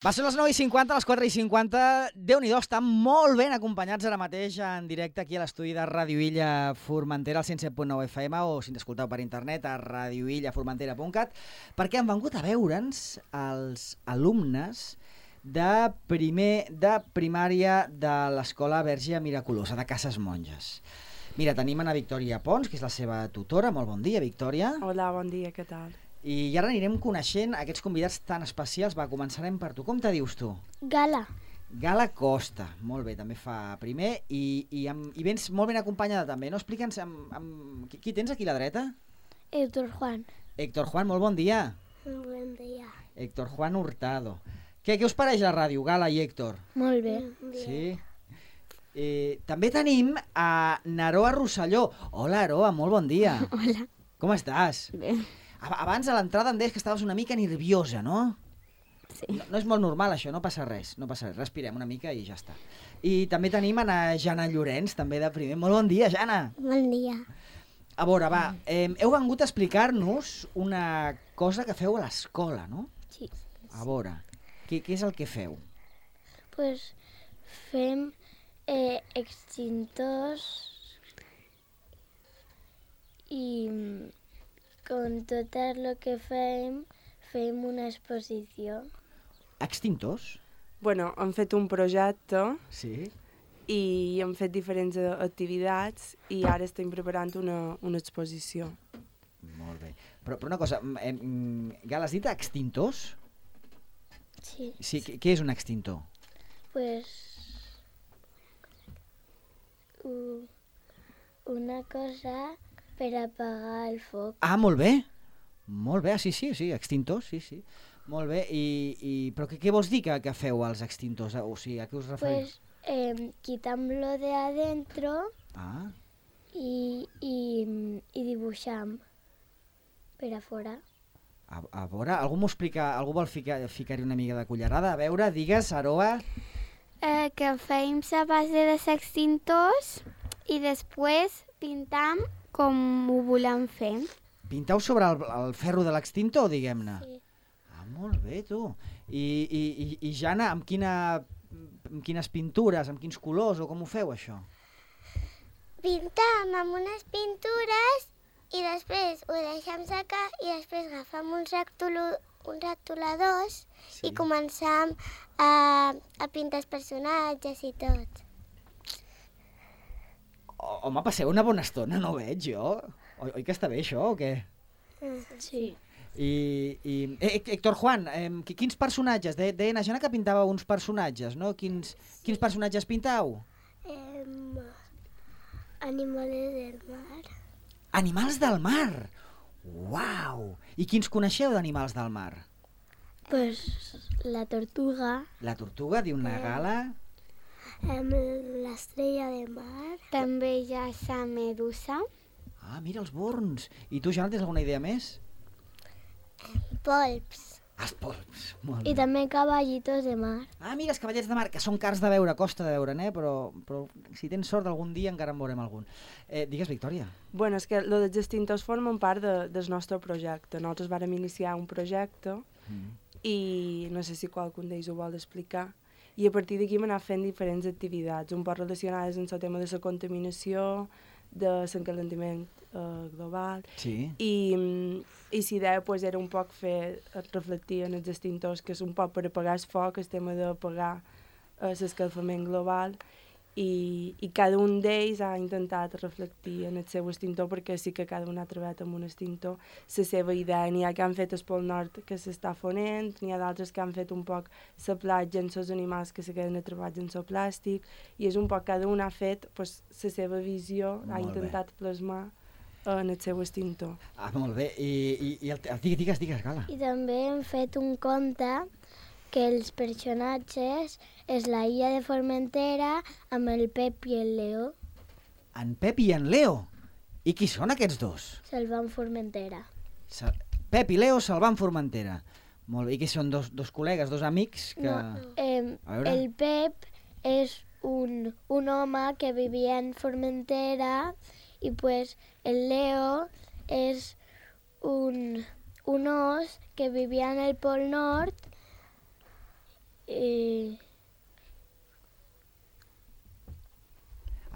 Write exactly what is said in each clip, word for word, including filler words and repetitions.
Va ser les nou i cinquanta, les quatre i cinquanta. Déu-n'hi-do, estan molt ben acompanyats ara mateix en directe aquí a l'estudi de Ràdio Illa Formentera, al cent set punt nou F M, o si ens escolteu per internet a radio illa formentera punt cat, perquè han vengut a veure'ns els alumnes de primer de primària de l'Escola Verge Miraculosa de Cases Monges. Mira, tenim a Victòria Pons, que és la seva tutora. Molt bon dia, Victòria. Hola, bon dia, què tal? I ara anirem coneixent aquests convidats tan especials. Va, començarem per tu. Com te dius tu? Gala. Gala Costa. Molt bé, també fa primer. I, i, amb, i vens molt ben acompanyada també, no? Explica'ns, amb, amb... Qui, qui tens aquí a la dreta? Héctor Juan. Héctor Juan, molt bon dia. Bon dia. Héctor Juan Hurtado. Què, què us pareix la ràdio, Gala i Héctor? Molt bé. Sí? Eh, també tenim a Naroa Rosselló. Hola, Aroa, molt bon dia. Hola. Com estàs? Bé. Abans a l'entrada em deies que estaves una mica nerviosa, no? Sí. No, no és molt normal això, no passa res, no passa res, respirem una mica i ja està. I també tenim a na Jana Llorenç, també de primer. Molt bon dia, Jana! Bon dia. A veure, va, eh, heu vengut a explicar-nos una cosa que feu a l'escola, no? Sí. A veure, què, què és el que feu? Pues fem eh, extintors i con tot el que fem, fem una exposició. Extintors? Bueno, hem fet un projecte Sí. i hem fet diferents activitats i ara estem preparant una, una exposició. Molt bé. Però, però una cosa, eh, Gal, has dit extintors? Sí. Sí, què, què és un extintor? Pues u- una cosa per apagar el foc. Ah, molt bé. Molt bé, sí, sí, sí, extintors, sí, sí. Molt bé, i, i però què, què vols dir que, que feu als extintors? O sigui, a què us referiu? Pues eh, quitam-lo de adentro Ah, i, i, i dibuixam per a fora. a, a veure, algú m'ho explica, algú vol ficar, ficar-hi una mica de cullerada? A veure, digues, Aroa. Eh, que fem a base de extintors i després pintam com ho volem fer. Pinteu sobre el, el ferro de l'extintor, diguem-ne? Sí. Ah, molt bé, tu. I, i, i, i Jana, amb, quina, amb quines pintures, amb quins colors, o com ho feu, això? Pintam amb unes pintures i després ho deixem secar i després agafem uns, rectolo, uns rectoladors Sí. i començam a, a pintar els personatges i tot. O, home, passeu una bona estona, no veig jo. Oi, oi que està bé això, o què? Sí. I, i eh, Héctor Juan, eh, qui- quins personatges? De, deien a Jana que pintava uns personatges, no? Quins, quins personatges pintau? Eh, animales del mar. Animals del mar! Uau! I quins coneixeu d'animals del mar? Pues la tortuga, La tortuga, diu una Gala. Eh, L'estrella de mar. També hi ha la medusa. Ah, mira els borns. I tu, Jana, tens alguna idea més? Polps. Els polps. Molt i bé. també cavallitos de mar. Ah, mira, els cavallets de mar, que són cars de veure, costa de veure, eh? però, però si tens sort algun dia encara en veurem algun. Eh, digues, Victòria. Bueno, és que lo dels extintors formen part de, del nostre projecte. Nosaltres vàrem iniciar un projecte Mm. i no sé si qualcun d'ells ho vol explicar. I a partir d'aquí hem anat fent diferents activitats, un poc relacionades amb el tema de la contaminació, de l'encalentament eh, global, Sí. i, mm, i la idea pues, era un poc fer reflectir en els extintors, que és un poc per apagar el foc, el tema d'apagar eh, l'escalfament global, i, i cada un d'ells ha intentat reflectir en el seu extintor, perquè sí que cada un ha treballat amb un extintor la seva idea. N'hi ha que han fet el Pol Nord que s'està fonent, n'hi ha d'altres que han fet un poc la platja amb els animals que se queden atrapats en el plàstic, i és un poc cada un ha fet pues, la seva visió, ha Molt bé. intentat plasmar en el seu extintor. Ah, molt bé. I, i, i el, digues, digues, digues, Gala. I també hem fet un conte que els personatges és la illa de Formentera amb el Pep i el Leo. En Pep i en Leo. I qui són aquests dos? Salvant Formentera. Sa Pep i Leo salvant Formentera. Molt bé. I que són dos, dos col·legues, dos amics que... No, eh, A veure. el Pep és un, un home que vivia en Formentera i pues el Leo és un, un os que vivia en el Pol Nord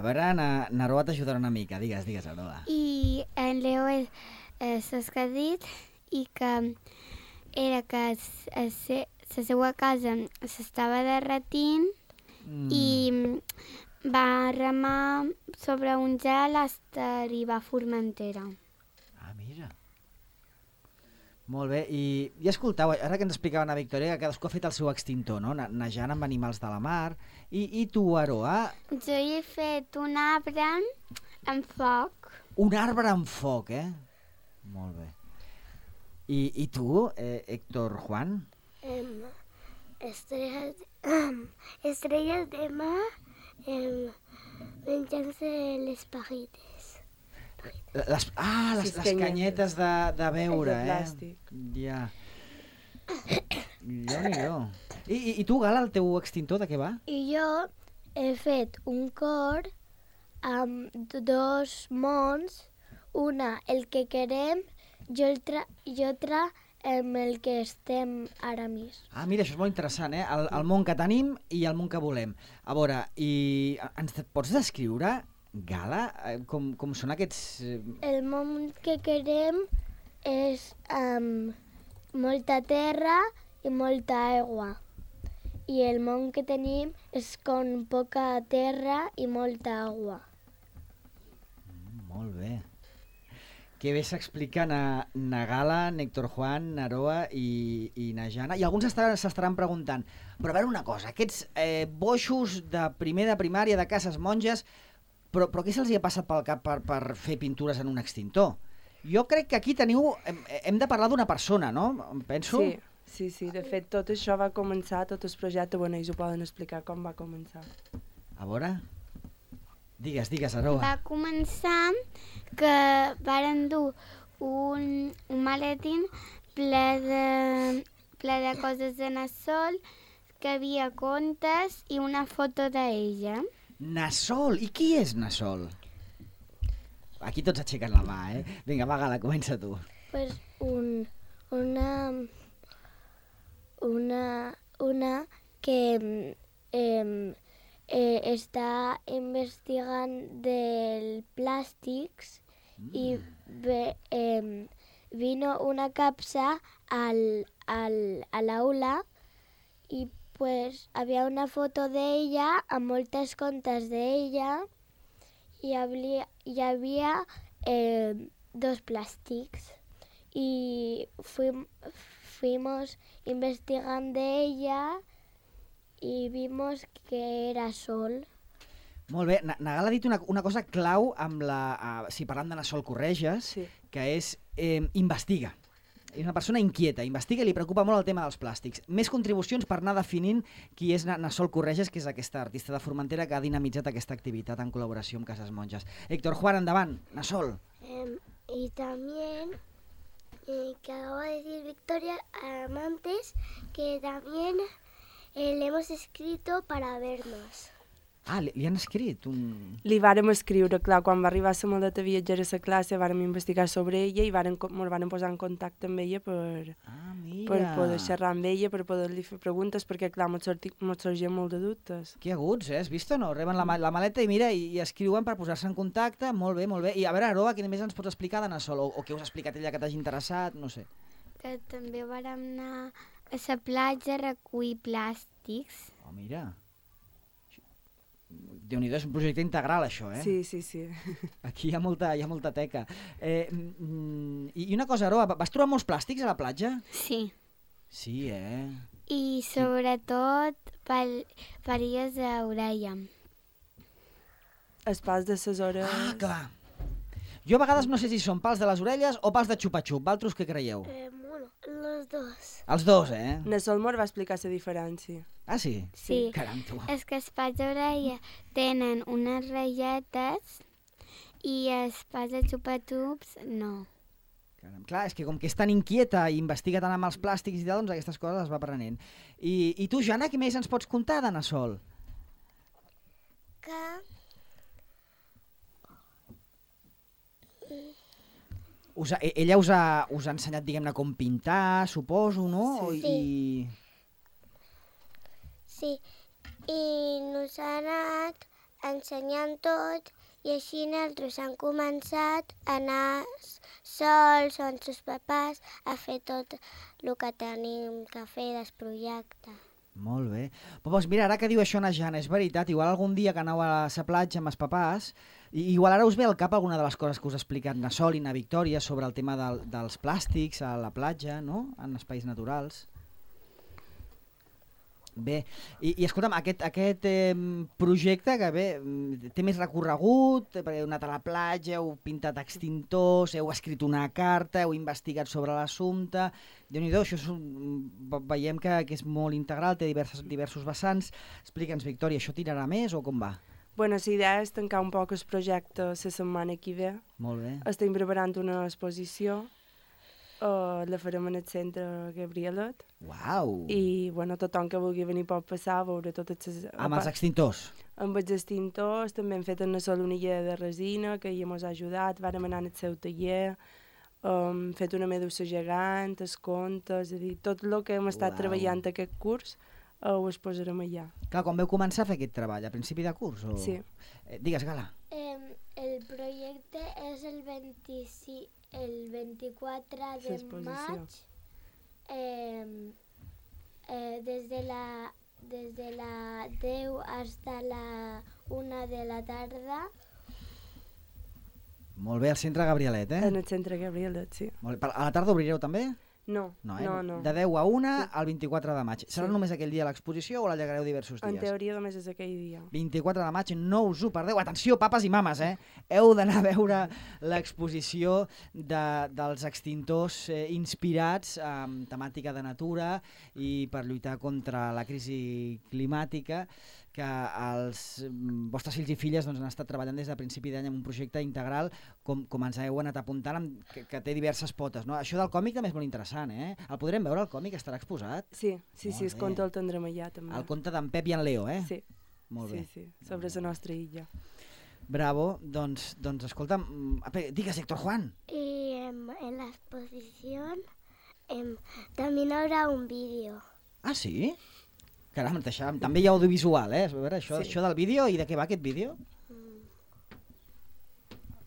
A veure, na, Naroa t'ajudarà una mica. Digues, digues, Naroa. I en Leo és, és el que ha dit i que era que la seva casa s'estava derretint mm. i va remar sobre un gel fins a arribar a Formentera. Ah, mira. Molt bé, i, i escoltau, ara que ens explicava la Victòria, que cadascú ha fet el seu extintor, no? Nejant amb animals de la mar. I, i tu, Aroa? Jo he fet un arbre amb foc. Un arbre amb foc, eh? Molt bé. I, i tu, eh, Héctor Juan? Um, estrellas, um, estrellas de mar um, menjant-se les pajites. Les, ah, les, les canyetes de, de beure, de plàstic. eh? Ja. Déu-n'hi-do. I, i, I tu, Gala, el teu extintor, de què va? I jo he fet un cor amb dos mons, una el que querem i altra, i altra amb el que estem ara més. Ah, mira, això és molt interessant, eh? El, el món que tenim i el món que volem. A veure, i ens pots descriure, Gala, com, com són aquests... El món que querem és amb molta terra i molta aigua. I el món que tenim és com poca terra i molta aigua. Mm, molt bé. Que bé s'explica na, na Gala, Héctor Juan, Naroa i, i na Jana. I alguns s'estaran preguntant, però a veure una cosa, aquests eh, boixos de primer de primària de cases monges, però, però què se'ls hi ha passat pel cap per, per fer pintures en un extintor? Jo crec que aquí teniu, hem, hem de parlar d'una persona, no? Em penso... Sí, sí, sí. De fet, tot això va començar, tot el projecte, bueno, ells ho poden explicar com va començar. A veure... Digues, digues, Aroa. Va començar que varen dur un, un maletín ple de, ple de coses de Nassol, que havia contes i una foto d'ella. Nassol! I qui és Nassol? Aquí tots aixequen la mà, eh? Vinga, va, Gala, comença tu. Pues un, una, una, una que... Eh, Eh, està investigant dels plàstics mm. i ve, eh, vino una capsa al, al, a l'aula i pues havia una foto d'ella amb moltes contes d'ella i havia, hi havia eh, dos plàstics i fuim, fuimos investigant d'ella i vimos que era sol. Molt bé. Nagal ha dit una, una cosa clau amb la... Uh, si parlant de Nassol Correges, sí. que és eh, investiga. És una persona inquieta, investiga i li preocupa molt el tema dels plàstics. Més contribucions per anar definint qui és Nassol Correges, que és aquesta artista de Formentera que ha dinamitzat aquesta activitat en col·laboració amb Cases Monges. Héctor Juan, endavant. Nassol. Eh, y también, eh, que acabo de decir Victoria eh, antes, que también... Eh, le hemos escrito para vernos. Ah, li, li han escrit un... Li vàrem escriure, clar, quan va arribar la maleta viatgera a la classe, vàrem investigar sobre ella i vàrem, ens vàrem posar en contacte amb ella per, ah, per poder xerrar amb ella, per poder-li fer preguntes, perquè, clar, ens sorgien molt de dubtes. Que aguts, eh? Has vist o no? Reben la, la maleta i mira, i, i escriuen per posar-se en contacte. Molt bé, molt bé. I a veure, Aroa, què més ens pots explicar de Nassol? O, o què us ha explicat ella que t'hagi interessat? No sé. Que també vàrem anar a la platja a recollir plàstics. Oh, mira. Déu-n'hi-do, és un projecte integral, això, eh? Sí, sí, sí. Aquí hi ha molta, hi ha molta teca. Eh, mm, I una cosa, Aroa, vas trobar molts plàstics a la platja? Sí. Sí, eh? I sobretot pel, paries d'orella. Els pals de ses hores... Ah, clar. Jo a vegades no sé si són pals de les orelles o pals de xupa-xup. Valtros, què creieu? Eh, bueno, los dos. Els dos, eh? Nassol Mor va explicar la diferència. Ah, sí? Sí. Caram, tu. És que els pals d'orella tenen unes ratlletes i els pals de xupa-xups no. Caram. Clar, és que com que és tan inquieta i investiga tant amb els plàstics i tal, doncs aquestes coses les va aprenent. I, i tu, Jana, què més ens pots contar de Nassol? Que... Us ha, ella us ha, us ha ensenyat, diguem-ne, com pintar, suposo, no? Sí. I... Sí, i nos ha anat ensenyant tot i així nosaltres han començat a anar sols o amb els papàs a fer tot el que tenim que fer del projecte. Molt bé. Però doncs mira, ara que diu això na Jana, és veritat, igual algun dia que aneu a la platja amb els papàs, i igual ara us ve al cap alguna de les coses que us ha explicat na Sol i na Victòria sobre el tema del, dels plàstics a la platja, no?, en espais naturals. Bé, i, i escolta'm, aquest, aquest eh, projecte que bé, té més recorregut, perquè heu anat a la platja, heu pintat extintors, heu escrit una carta, heu investigat sobre l'assumpte, Déu-n'hi-do, això és un, veiem que, que és molt integral, té diversos, diversos vessants. Explica'ns, Victòria, això tirarà més o com va? Bueno, la idea és tancar un poc el projecte la setmana que ve. Molt bé. Estem preparant una exposició. Uh, la farem en el centre Gabrielet. Uau! I bueno, tothom que vulgui venir pot passar a veure totes les... Amb els extintors? Amb els extintors, també hem fet una solonilla de resina que ella ens ha ajudat, vàrem anar al seu taller, hem um, fet una medusa gegant, els contes, és a dir, tot el que hem estat Uau. treballant aquest curs uh, ho exposarem allà. Clar, quan veu començar a fer aquest treball? A principi de curs? O... Sí. Eh, digues, Gala. Eh, el projecte és el vint-i-cinc... el vint-i-quatre de maig, eh, eh, des de la, des de la deu fins a la una de la tarda. Molt bé, al centre Gabrielet, eh? En el centre Gabrielet, sí. Molt bé. A la tarda obrireu també? No, No, eh? no, no. De deu a una al vint-i-quatre de maig. Serà Sí. només aquell dia l'exposició o l'allargareu diversos dies? En teoria només és aquell dia. vint-i-quatre de maig, no us ho perdeu. Atenció, papes i mames, eh? Heu d'anar a veure l'exposició de, dels extintors eh, inspirats en temàtica de natura i per lluitar contra la crisi climàtica, que els vostres fills i filles doncs, han estat treballant des de principi d'any en un projecte integral, com, com ens heu anat apuntant, amb, que, que té diverses potes. No? Això del còmic també és molt interessant, eh? El podrem veure, el còmic estarà exposat? Sí, sí, Molt sí, el bé. conte el tindrem allà també. El conte d'en Pep i en Leo, eh? Sí, Molt sí, bé. sí, sobre la nostra illa. Bravo, doncs, doncs escolta'm, digues, Héctor Juan. Y em, en la exposición em, también habrá un vídeo. Ah, sí? Caram, deixàvem, també hi ha audiovisual, eh? A veure, això, Sí. això del vídeo, i de què va aquest vídeo?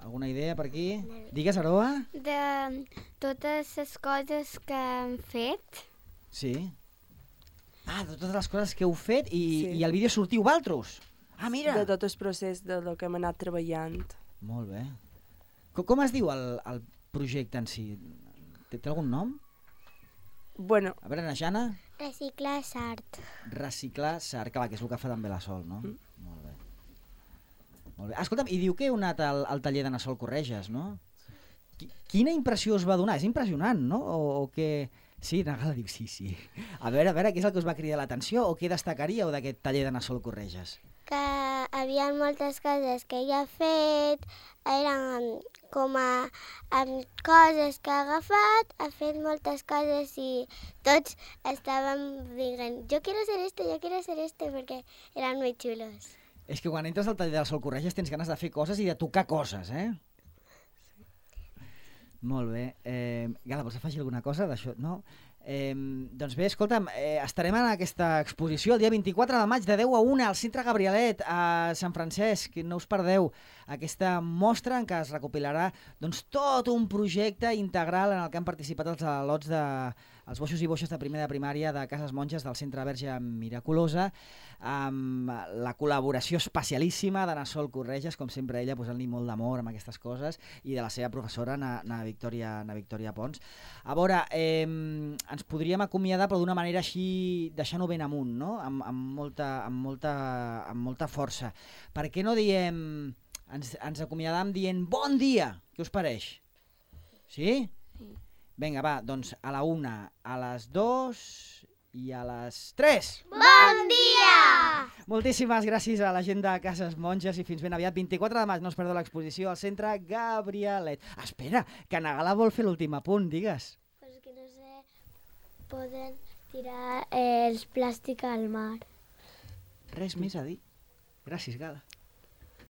Alguna idea per aquí? Digues, Aroa? De totes les coses que hem fet. Sí. Ah, de totes les coses que heu fet i, Sí. i el vídeo sortiu vosaltres. Ah, mira! De tot el procés de lo que hem anat treballant. Molt bé. Com, com es diu el, el projecte en si? Té, té algun nom? Bueno, A veure, na Jana? Reciclar és art. Reciclar sar, clar, que és el que fa també la Sol, no? Mm. Molt bé. Molt bé. Escolta'm, i diu que heu anat al, al taller de na Sol Correges, no? Qui- Quina impressió us va donar? És impressionant, no? O, o què... Sí, na Gala diu sí, sí. A veure, a veure, què és el que us va cridar l'atenció o què destacaríeu d'aquest taller de na Sol Correges? Que havia moltes coses que ella ha fet, eren com a amb coses que ha agafat, ha fet moltes coses i tots estàvem dient jo quiero ser este, yo quiero ser este, perquè eren molt xulos. És que quan entres al taller de la Sol Correges tens ganes de fer coses i de tocar coses, eh? Molt bé. Eh, Gala, vols afegir alguna cosa d'això? No? Eh, doncs bé, escolta'm, eh, estarem en aquesta exposició el dia vint-i-quatre de maig de deu a una al Centre Gabrielet a Sant Francesc, no us perdeu aquesta mostra en què es recopilarà doncs, tot un projecte integral en el que han participat els al·lots de els boixos i boixes de primera de primària de Cases Monges del Centre Verge Miraculosa, amb la col·laboració especialíssima de na Sol Correges, com sempre ella posant-li molt d'amor amb aquestes coses, i de la seva professora, na, na, Victòria, na Victòria Pons. A veure, eh, ens podríem acomiadar però d'una manera així, deixant-ho ben amunt, no? amb, amb, molta, amb, molta, amb molta força. Per què no diem, ens, ens acomiadam dient bon dia? Què us pareix? Sí? Sí. Vinga, va, doncs a la una, a les dos i a les tres. Bon dia! Moltíssimes gràcies a la gent de Cases Monges i fins ben aviat. vint-i-quatre de maig, no us perdeu l'exposició al Centre Gabrielet. Espera, que na Gala vol fer l'últim apunt, digues. Pues que no sé, poden tirar eh, els plàstics al mar. Res més a dir. Gràcies, Gala.